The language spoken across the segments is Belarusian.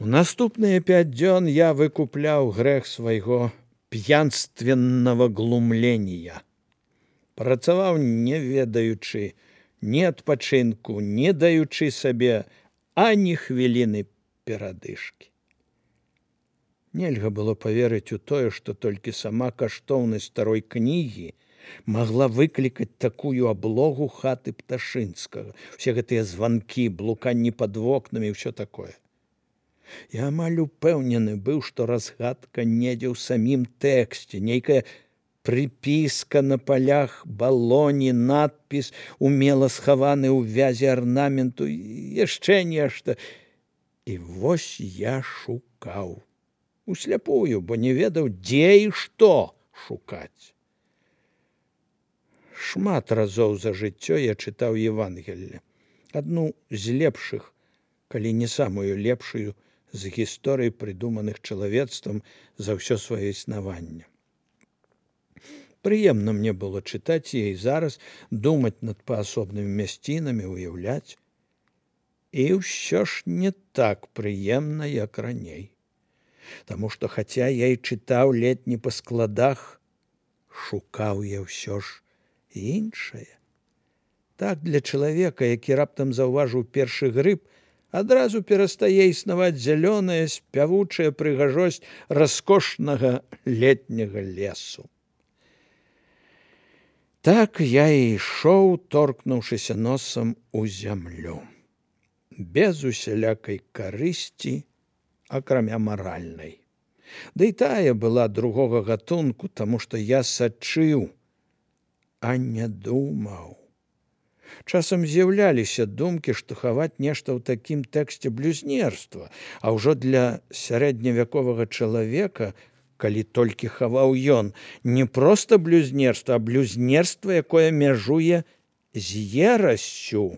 У наступныя 5 дзён я выкупляў грэх свайго п'янственного глумлення. Працаваў не ведаючы ні адпачынку, не даючы сабе ані хвіліны перадышкі. Нельга было паверыць у тое, што толькі сама каштоўнасць старой кнігі магла выклікаць такую аблогу хаты Пташынскага. Усе гэтыя званкі, блуканні пад вокнамі і ўсё такое. Я амаль упэўнены быў, што разгадка недзе ў самім тэксце, нейкая прыпіска на палях балоні, надпіс, умела схаваны ў вязі арнаменту, яшчэ нешта. І вось я шукаў. Усляпую, бо не ведаў, дзе і што шукаць. Шмат разоў за жыццё я чытаў Евангелле. Адну з лепшых, калі не самую лепшую, з гісторый, прыдуманых чалавецтвам за ўсё сваё існаванне. Прыемна мне было чытаць яе зараз, думаць над паасобнымі мясцінамі, уяўляць. І ўсё ж не так прыемна, як раней. Таму што, хаця я і чытаў ледь не па складах, шукаў я ўсё ж іншае. Так для чалавека, які раптам заўважыў першы грыб, адразу перастае існаваць зялёная, спявучая прыгажосць раскошнага летняга лесу. Так я і ішоў, торкнуўшыся носам у зямлю. Без усялякай карысці, акрамя маральнай. Ды і тая была другога гатунку, таму што я сачыў, а не думаў. Часам з'яўляліся думкі, што хаваць нешта ў такім тэксце блюзнерства, а ўжо для сярэдневяковага чалавека, калі толькі хаваў ён, не проста блюзнерства, а блюзнерства, якое мяжуе з ерасцю,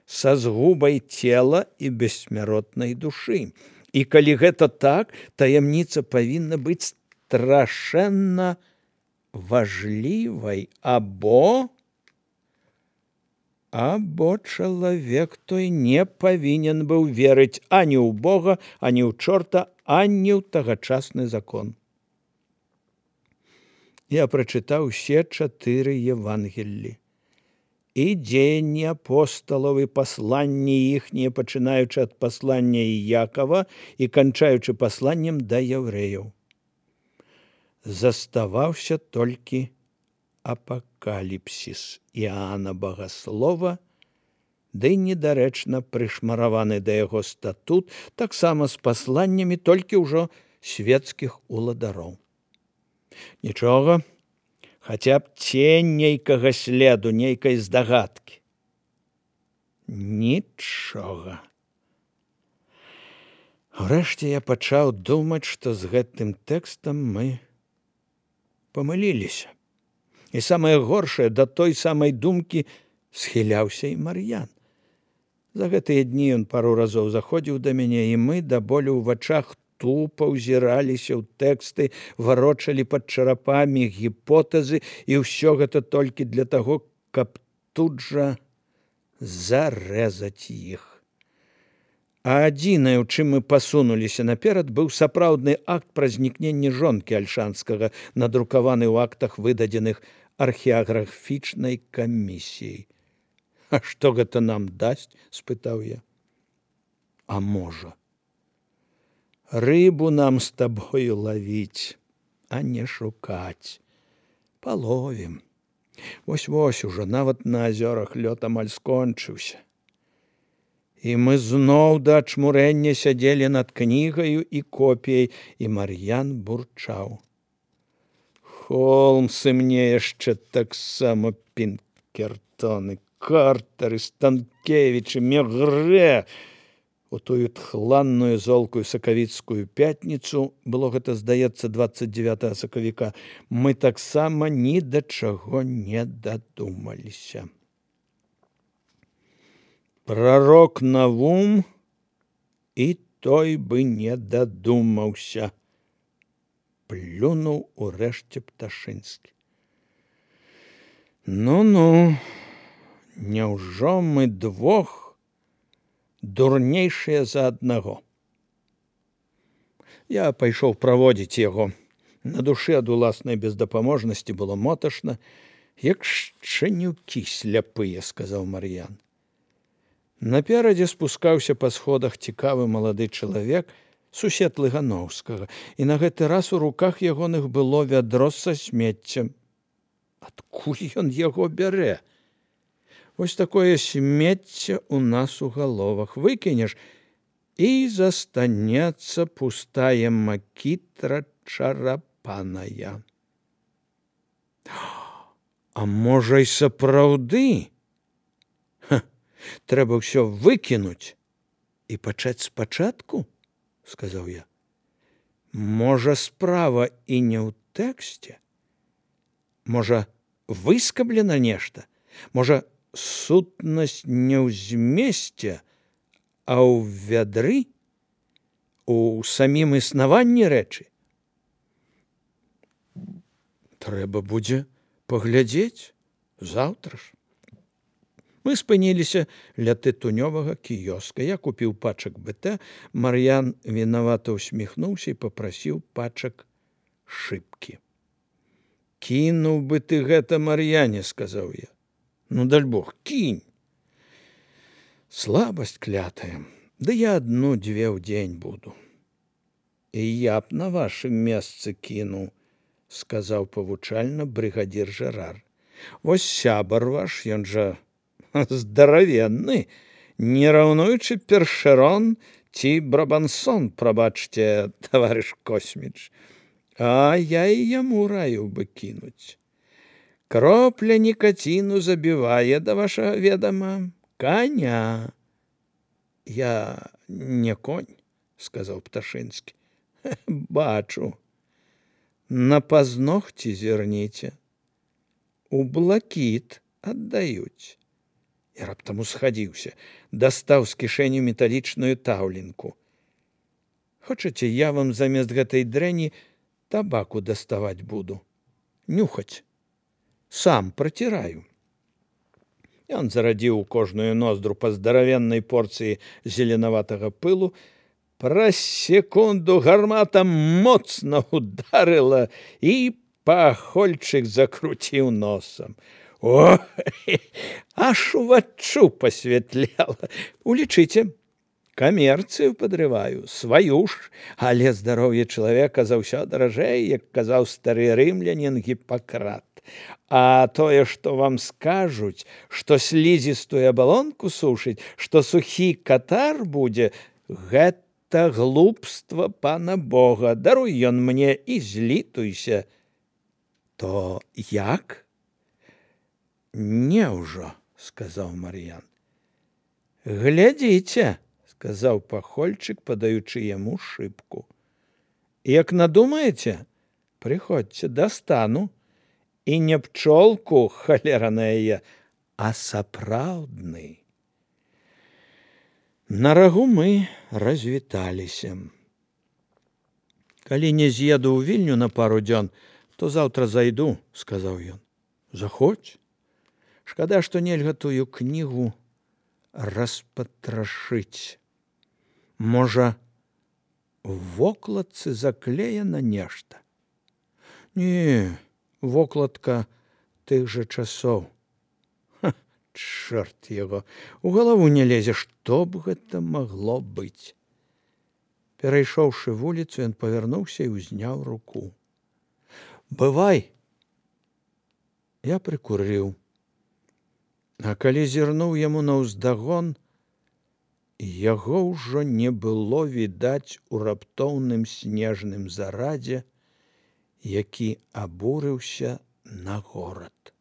са згубай цела і бессмяротнай душы. І калі гэта так, таямніца павінна быць страшэнна важлівай, або чалавек той не павінен быў верыць ані ў Бога, ані ў чорта, ані ў тагачасны закон. Я прачытаў усе 4 Евангеллі. І дзеянні апосталаў, і пасланні іхнія, пачынаючы ад паслання Іякава і канчаючы пасланнем да яўрэяў. Заставаўся толькі апакаліпсіс Іоанна Багаслова, ды недарэчна прышмараваны да яго статут, таксама з пасланнямі, толькі ўжо свецкіх уладароў. Нічога, хаця б цень нейкага следу, нейкай здагадкі. Нічога. Урэшце я пачаў думаць, што з гэтым тэкстам мы памыліліся. І самае горшае, да той самай думкі схіляўся і Мар'ян. За гэтыя дні ён пару разоў заходзіў да мяне, і мы да болю ў вачах тупа ўзіраліся ў тэксты, варочалі пад чарапамі гіпотэзы, і ўсё гэта толькі для таго, каб тут жа зарэзаць іх. А адзінае, у чым мы пасунуліся наперад, быў сапраўдны акт пра знікненне жонкі Альшанскага, надрукаваны ў актах, выдадзеных археаграфічнай камісіяй. А што гэта нам дасць? Спытаў я. А можа, рыбу нам з табою лавіць, а не шукаць. Паловім. Вось-вось ужо нават на азёрах лёд амаль скончыўся. І мы зноў да ачмурэння сядзелі над кнігаю і копіяй, і Мар'ян бурчаў. Холмсы мне яшчэ таксама Пінкертоны, Картары, Станкевічы, Мегрэ. У тую тхланную золкую сакавіцкую пятніцу, было гэта, здаецца, 29 сакавіка, мы таксама ні да чаго не дадумаліся. Прарок Навум і той бы не дадумаўся. Плюнуў урэшце Пташынскі. Ну-ну, няўжо мы двох дурнейшыя за аднаго? Я пайшоў праводзіць яго. На душы ад уласнай бездапаможнасці было моташна. Як шчанюкі сляпыя, сказаў Мар'ян. Наперадзе спускаўся па сходах цікавы малады чалавек, сусед Лыгановскага, і на гэты раз у руках ягоных было вядро са смеццем. Адкуль ён яго бярэ? Вось такое смецце ў нас у галовах. Выкінеш, і застанецца пустая макітра чарапаная. А можа, й сапраўды? Трэба ўсё выкінуць і пачаць спачатку, сказаў я. Можа, справа і не ў тэксце? Можа, выскаблена нешта? Можа, сутнасць не ў змесце, а ў вядры, у самім існаванні рэчы? Трэба будзе паглядзець заўтра ж. Мы спыніліся ля тытунёвага кіёска. Я купіў пачак БТ. Мар'ян вінавата ўсміхнуўся і папрасіў пачак шыбкі. Кінуў бы ты гэта, Мар'яне, сказаў я. Ну, даль Бог, кінь. Слабасць клятая. Ды я адну-дзве ў дзень буду. І я б на вашым месцы кінуў, сказаў павучальна брыгадзір Жэрар. Вось сябар ваш, ён жа здаравенны, не раўнуючы Першерон ці Брабансон, прабачце, таварыш Косміч. А я і яму раю бы кінуць. Кропля нікаціну забівае, да вашага ведама, каня. Я не конь, сказаў Пташынскі. Бачу. На пазногці зірніце. У блакіт аддаюць. Я раптам усхадзіўся, дастаў з кішэні металічную таўленку. Хочаце, я вам замест гэтай дрэнні табаку даставаць буду? Нюхаць. Сам праціраю. Ён зарадзіў у кожную ноздру па здаравеннай порцыі зеленаватага пылу. Праз секунду гармата моцна ударыла, і пахольчык закруціў носам. О, аж уваччу пасвятляла. Улічыце, камерцыю падрываю, сваю ж, але здароўе чалавека заўсёды даражэй, як казаў стары рымлянін Гіппакрат. А тое, што вам скажуць, што слізістую абалонку сушыць, што сухі катар будзе, гэта глупства пана Бога. Даруй ён мне і злітуйся. То як? Неўжо, сказаў Мар'ян. Глядзіце, сказаў пахольчык, падаючы яму шыбку. Як надумаеце, прыходзьце, дастану. І не пчолку, халера на яе, а сапраўдны. На рагу мы развіталіся. Калі не з'еду ў Вільню на пару дзён, то заўтра зайду, сказаў ён. Заходзь. Шкада, што нельга тую кнігу распатрашыць. Можа, у вокладцы заклеена нешта? Не, вокладка тых жа часоў. Чорт яго, у галаву не лезе, што б гэта магло быць. Перайшоўшы вуліцу, ён павярнуўся і ўзняў руку. Бывай. Я прыкурыў. А калі зірнуў яму наўздагон, яго ўжо не было відаць у раптоўным снежным зарадзе, які абурыўся на горад.